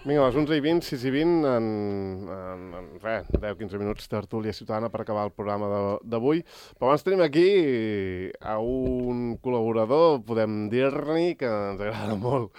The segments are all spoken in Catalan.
Vinga, a les 11:20, 6:20, en res, 10-15 minuts, tertúlia ciutadana per acabar el programa d'avui. Però abans tenim aquí a un col·laborador, podem dir-ne, que ens agrada molt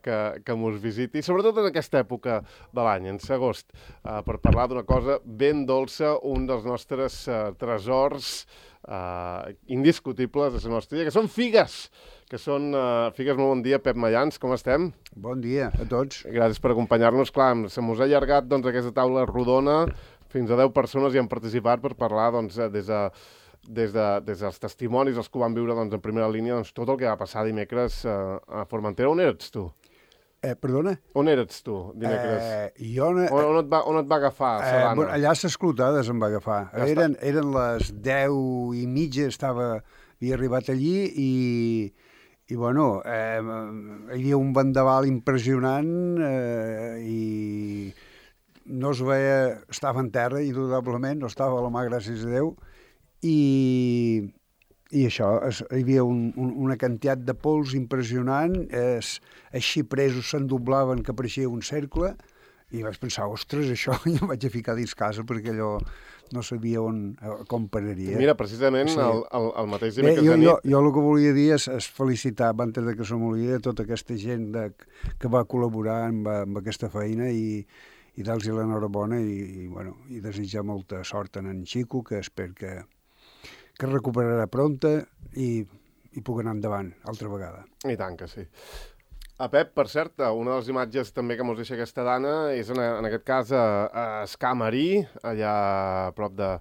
que mos visiti, sobretot en aquesta època de l'any, en agost, per parlar d'una cosa ben dolça, un dels nostres tresors indiscutibles de la nostra vida, que són figues, figues. Molt bon dia, Pep Mayans, com estem? Bon dia a tots. Gràcies per acompanyar-nos. Clar, se mos ha allargat aquesta taula rodona, fins a 10 persones hi han participat per parlar des dels testimonis, els que ho van viure en primera línia, tot el que va passar dimecres a Formentera. On eres tu? Perdona? On eres tu dimecres? On et va agafar la Sabana? Allà a les Clotades em va agafar. Eren les 10:30, havia arribat allí i bueno, hi havia un vendaval impressionant i no es veia, estava en terra, indudablement, no estava a la mà, gràcies a Déu, i això, hi havia una quantitat de pols impressionant, els xipresos s'endoblaven que pareixia un cercle, i vaig pensar, ostres, això, i em vaig a ficar dins casa perquè allò no sabia com pararia. Mira, precisament sí. el mateix dimecres de nit... Jo el que volia dir és felicitar, abans que se m'oblidi, tota aquesta gent que va col·laborar amb aquesta feina i dar-los l'enhorabona i desitjar molta sort en Xico, que espero que recuperarà prompte i pugui anar endavant altra vegada. I tant que sí. Pep, per cert, una de les imatges també que mos deixa aquesta dona és en aquest cas a Escamarí, allà a prop de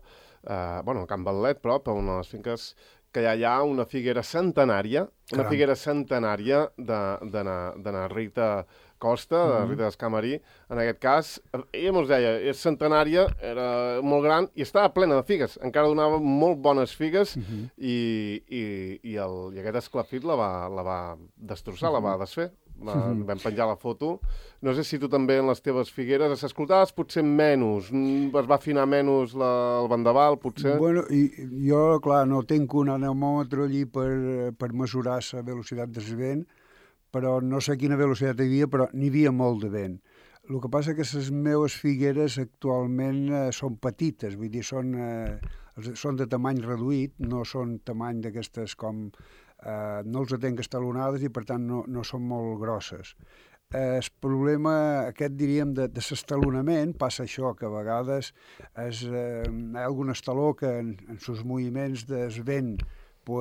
a Can Batlet, prop, a una de les finques, que hi ha una figuera centenària, una figuera centenària de Rita Costa, de Rita d'Escamarí. En aquest cas, ella mos deia, és centenària, era molt gran i estava plena de figues, encara donava molt bones figues i aquest esclafit la va destrossar, la va desfer. Vam penjar la foto. No sé si tu també en les teves figueres a les Clotades potser menys, es va afinar menys el vendaval, potser? Bueno, jo, clar, no tinc un anemòmetre allí per mesurar la velocitat del vent, però no sé quina velocitat hi havia, però n'hi havia molt de vent. El que passa que les meves figueres actualment són petites, vull dir, són de tamany reduït, no són tamany d'aquestes com... no els tenc estalonades i per tant no són molt grosses. El problema aquest, diríem, de l'estalonament passa això, que a vegades hi ha algun estaló que en els moviments del vent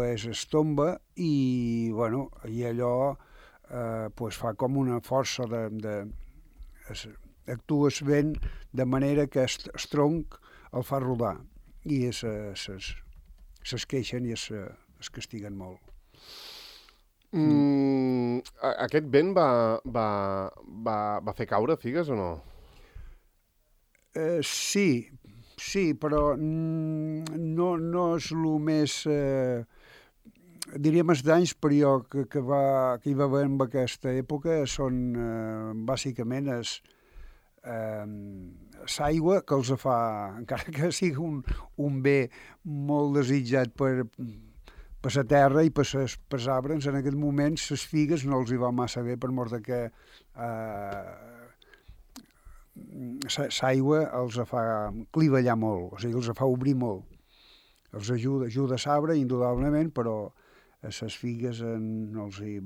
es tomba i allò fa com una força actua el vent de manera que el tronc el fa rodar i s'esqueixen i es castiguen molt. Aquest vent va fer caure figues o no? Sí, però no és el més... diríem els danys que hi va haver en aquesta època són bàsicament l'aigua que els fa, encara que sigui un bé molt desitjat per la terra i per els arbres, en aquest moment les figues no els hi va massa bé per mort que l'aigua els fa clivellar molt, o sigui, els fa obrir molt. Els ajuda a l'arbre, indudablement, però a les figues no els hi...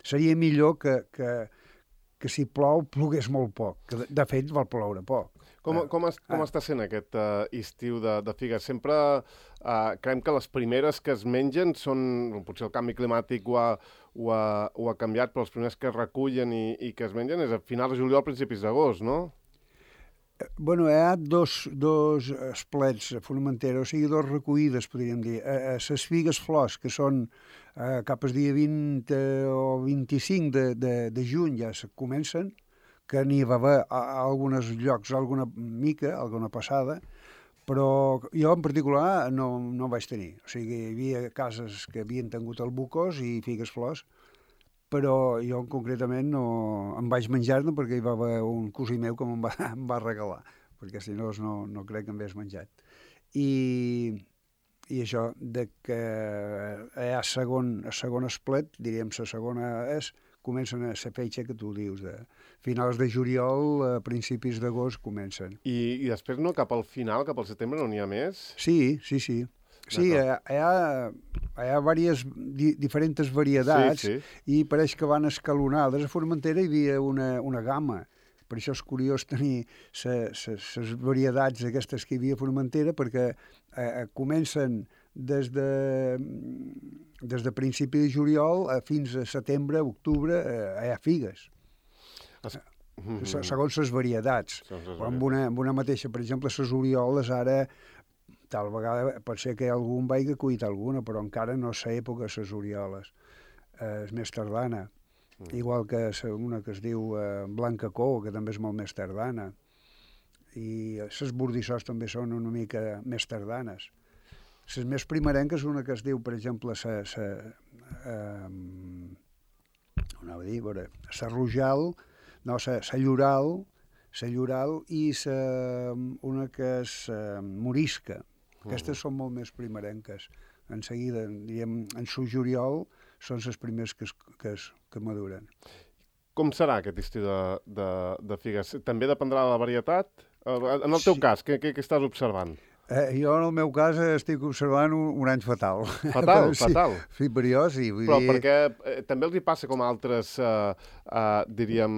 Seria millor que si plou, plogués molt poc, que de fet vol ploure poc. Com està sent aquest estiu de figues? Sempre creiem que les primeres que es mengen són... Potser el canvi climàtic ho ha canviat, però les primeres que es recullen i que es mengen és a finals de juliol, principis d'agost, no? Bueno, hi ha dos esplets a Formentera, o sigui, dos recollides, podríem dir. Les figues flors, que són cap al dia 20 o 25 de juny, ja se comencen, que n'hi va haver a alguns llocs alguna mica, alguna passada, però jo en particular no vaig tenir. O sigui, hi havia cases que havien tingut albucos i figues flors, però jo concretament no em vaig menjar-ne perquè hi va haver un cosí meu que em va regalar, perquè si no no crec que em hagués menjat. I això, de que hi ha segon esplet, diríem, la segona és comencen a la fetge que tu dius, de finals de juliol a principis d'agost comencen. I després, no, cap al final, cap al setembre, no n'hi ha més? Sí. Sí, hi ha diferents varietats i pareix que van escalonades. A Formentera hi havia una gamma. Per això és curiós tenir les varietats aquestes que hi havia a Formentera, perquè comencen des de principi de juliol fins a setembre, octubre, hi ha figues. Segons les varietats. Amb una mateixa, per exemple, les orioles ara, tal vegada pot ser que algú en vagi cuit alguna, però encara no és l'època de les orioles. És més tardana. Igual que una que es diu Blanca Cou, que també és molt més tardana. I les bordissós també són una mica més tardanes. Les més primerenques, una que es diu, per exemple, la Rojal, no, la Lloral i una que és Morisca. Aquestes són molt més primerenques. En seguida, diguem, en su juliol, són les primers que maduren. Com serà aquest estiu de figues? També dependrà de la varietat? En el teu cas, què estàs observant? Jo, en el meu cas, estic observant un any fatal. Fatal? Fatal? Sí, per jo sí. Però perquè també els hi passa com altres, diríem,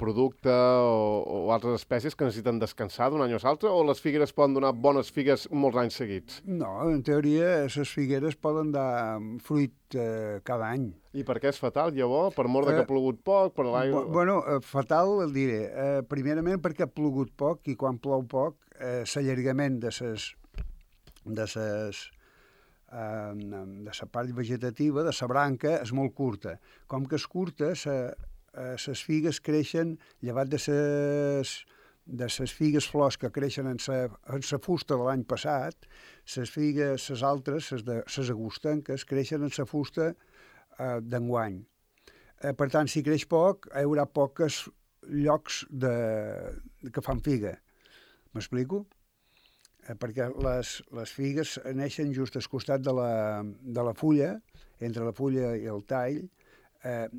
producte o altres espècies que necessiten descansar d'un any o l'altre, o les figueres poden donar bones figues molts anys seguits? No, en teoria, les figueres poden dar fruit cada any. I per què és fatal, llavors? Per mort que ha plogut poc? Per l'aigua? Bueno, fatal el diré. Primerament perquè ha plogut poc i quan plou poc l'allargament de la part vegetativa, de la branca, és molt curta. Com que és curta, les figues creixen, llevat de les figues flors que creixen en la fusta de l'any passat, les altres, les agostenques, creixen en la fusta d'enguany. Per tant, si creix poc, hi haurà pocs llocs que fan figa. M'explico? Perquè les figues neixen just al costat de la fulla, entre la fulla i el tall, hi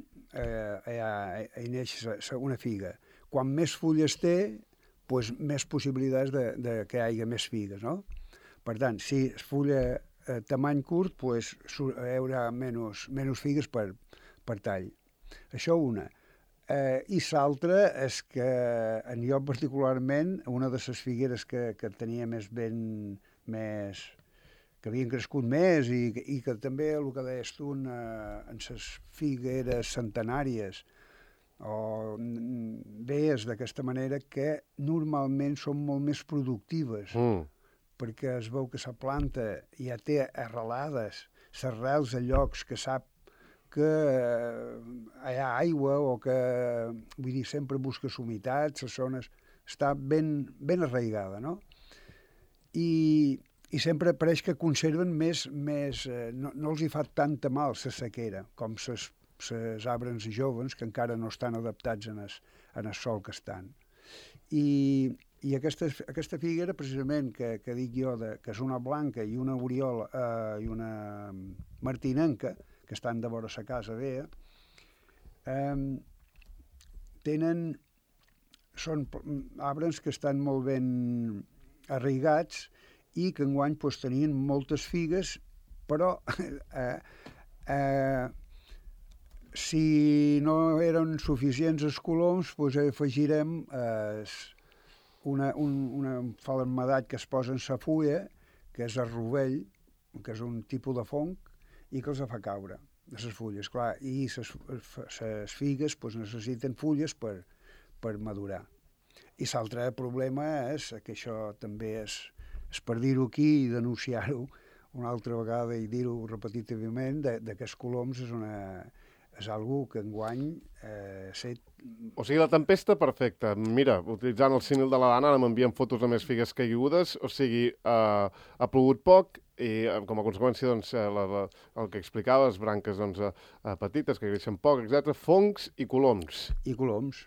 neix una figa. Quan més fulles té, doncs més possibilitats que hi hagi més figues, no? Per tant, si és fulla tamany curt, doncs hi haurà menys figues per tall. Això una. I l'altra és que en jo particularment, una de les figueres que tenia que havien crescut més i que també, el que deies tu, en les figueres centenàries o veies d'aquesta manera que normalment són molt més productives, perquè es veu que la planta ja té arrelades les arrels a llocs que sap que hi ha aigua o que, vull dir, sempre busca humitat, les zones, està ben arraigada, no? I sempre pareix que conserven més no els hi fa tanta mal la sequera, com les arbres joves que encara no estan adaptats en el sol que estan. I aquesta figuera, precisament, que dic jo, que és una blanca i una oriola i una martinenca, que estan de vora la casa veia, són arbres que estan molt ben arraigats i que enguany tenien moltes figues, però si no eren suficients els coloms, afegirem un falmedat que es posa en la fulla, que és el rovell, que és un tipus de fong, i que els fa caure, de les fulles, clar, i les figues necessiten fulles per madurar. I l'altre problema és que això també és per dir-ho aquí i denunciar-ho una altra vegada i dir-ho repetitivament, que els coloms és algo que enguany O sigui, la tempesta perfecta. Mira, utilitzant el símil de la Dana, ara m'envien fotos de més figues caigudes, o sigui, ha plogut poc i com a conseqüència, doncs, el que explicaves, branques petites que creixen poc, etc., fongs i coloms. I coloms,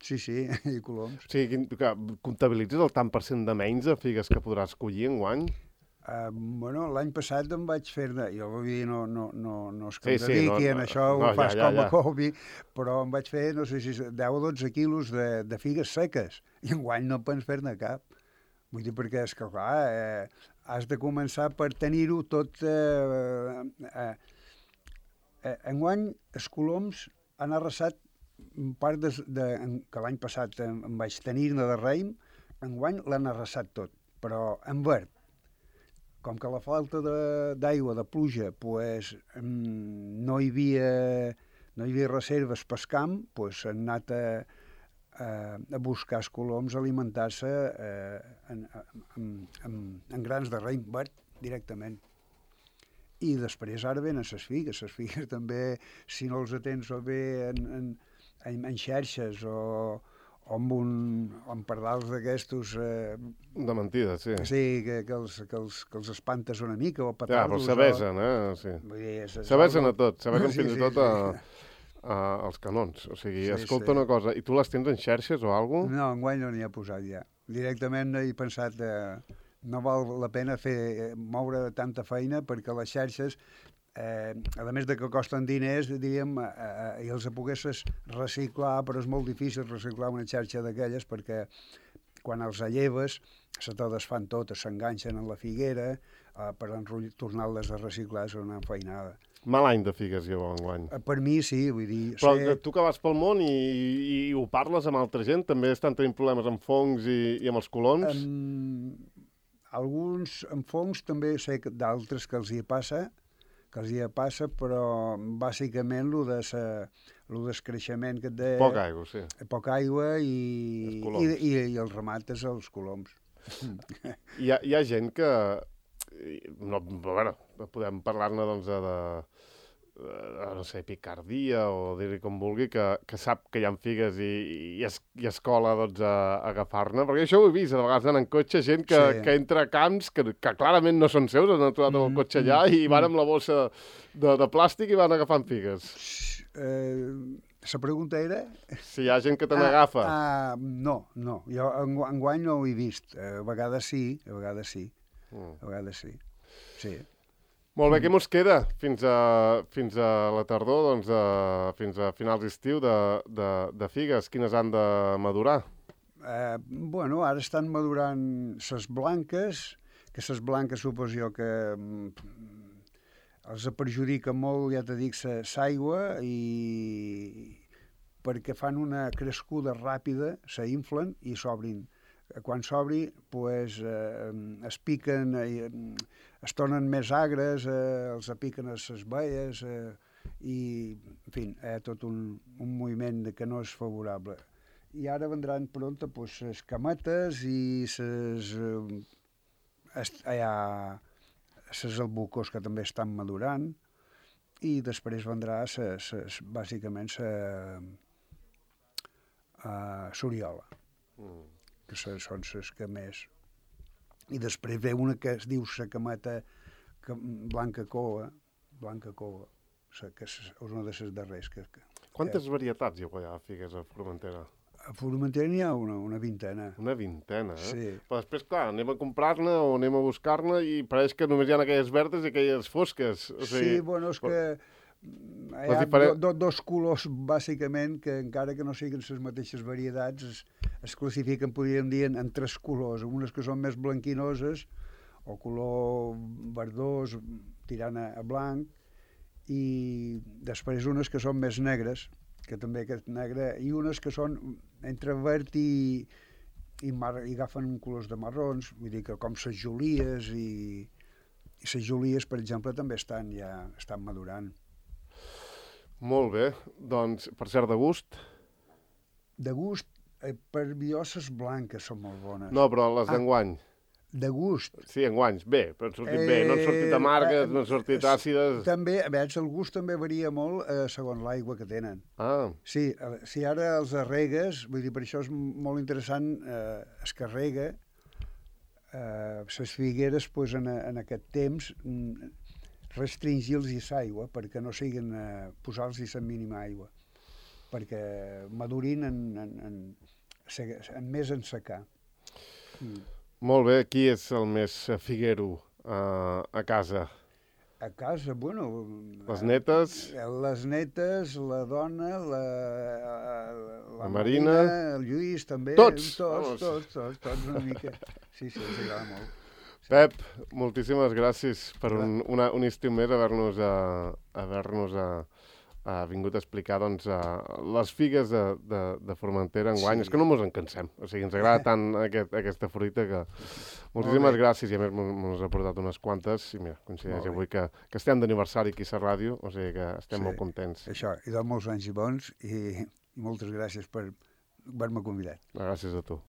sí, i coloms. O sigui, comptabilitzes el tant % de menys de figues que podràs collir enguany? Bueno, l'any passat em vaig fer-ne, jo vull dir, no és que Sí, em sí, dediqui en això, ho fas com a ja. hobby, però em vaig fer, no sé si 10 o 12 quilos de figues seques, i enguany no pots fer-ne cap. Vull dir, perquè és que, clar, has de començar per tenir-ho tot... Enguany, els coloms han arrasat part que l'any passat em vaig tenir-ne de raïm, enguany l'han arrasat tot, però en verd. Com que la falta d'aigua, de pluja, pues, no hi havia reserves pel camp, pues, han anat a buscar els coloms, a alimentar-se en grans de raïm verd directament. I després ara venen les figues també, si no els atens o bé en xerxes o amb pardals d'aquestos... De mentida, sí. Sí, que els espantes una mica, o Ja, petardos... però s'avesen, sí. S'avesen a tot, s'avesen fins i tot als canons. O sigui, escolta una cosa, i tu les tens en xerxes o alguna cosa? No, enguany no n'hi ha posat ja. Directament he pensat... no val la pena moure tanta feina perquè les xarxes, a més de que costen diners, diríem, i els poguessis reciclar, però és molt difícil reciclar una xarxa d'aquelles perquè quan els alleves se te desfan totes, s'enganxen en la figuera, per tornar-les a reciclar és una feinada. Mal any de figues, jo, enguany. Per mi sí, vull dir... Però tu que vas pel món i ho parles amb altra gent, també estan tenint problemes amb fongs i amb els coloms? Alguns amb fongs també sé d'altres que els hi passa, però bàsicament el descreixement que et deia... Poca aigua, sí. Poca aigua i els remates als coloms. Hi ha gent que... No, bueno, podem parlar-ne doncs no sé, picardia o dir-hi com vulgui, que sap que hi ha figues i es cola doncs, a agafar-ne, perquè això ho he vist, a vegades anant en cotxe, gent que entra a camps que clarament no són seus, han trobat amb el cotxe allà i van amb la bossa de plàstic i van agafant figues. La pregunta era... Si hi ha gent que te n'agafa. No, jo enguany no ho he vist, a vegades sí, a vegades sí. Sí. Molt bé, què mos queda fins a la tardor, doncs, fins a finals d'estiu de figues? Quines han de madurar? Bueno, ara estan madurant ses blanques, que ses blanques suposo jo que els perjudica molt, ja t'he dit, l'aigua, i perquè fan una crescuda ràpida, s'inflen i s'obrin. Quan s'obri, pues, es piquen, es tornen més agres, els piquen a les baies, i, en fi, tot un moviment que no és favorable. I ara vendran pronta pues, les cametes i les albucos que també estan madurant, i després vendrà bàsicament l'oriola. Que són les que més... I després ve una que es diu la cameta blanca coa, que és una de les darreres. Quantes varietats hi ha figues a Formentera? A Formentera n'hi ha una vintena. Una vintena, Sí. Però després, clar, anem a comprar-ne o anem a buscar-ne i pareix que només hi ha aquelles verdes i aquelles fosques. O sigui, sí, bueno, és que hi ha dos colors, bàsicament, que encara que no siguin les mateixes varietats, es classifiquen, podríem dir, en tres colors. Unes que són més blanquinoses, o color verdós, tirant a blanc, i després unes que són més negres, que també aquest negre, i unes que són entre verd i agafen colors de marrons, vull dir que com les jolies, i les jolies, per exemple, també estan madurant. Molt bé, doncs, per cert, de gust? De gust, per jo les blanques són molt bones. No, però les d'enguany. De gust. Sí, enguanys, bé, però han sortit bé, no han sortit amargues, no han sortit àcides... També, a veure, el gust també varia molt segons l'aigua que tenen. Sí, si ara els arregues, vull dir, per això és molt interessant, es carrega, les figueres, pues, en aquest temps, restringir-los l'aigua, perquè no siguin posar-los la mínima aigua, perquè madurin més en secar. Molt bé, qui és el més figuero a casa? A casa, bueno... Les netes? Les netes, la dona, la Marina, el Lluís també. Tots Tots una mica. Sí, ens agrada molt. Pep, moltíssimes gràcies per un estiu més haver-nos vingut a explicar doncs, les figues de Formentera enguany. És que no mos en cansem. O sigui, ens agrada tant aquesta fruita que... Moltíssimes gràcies, i a més mos ha portat unes quantes, i mira, coincideix avui que estem d'aniversari aquí a ràdio, o sigui que estem molt contents. Això, i de molts anys i bons, i moltes gràcies per haver-me convidat. Gràcies a tu.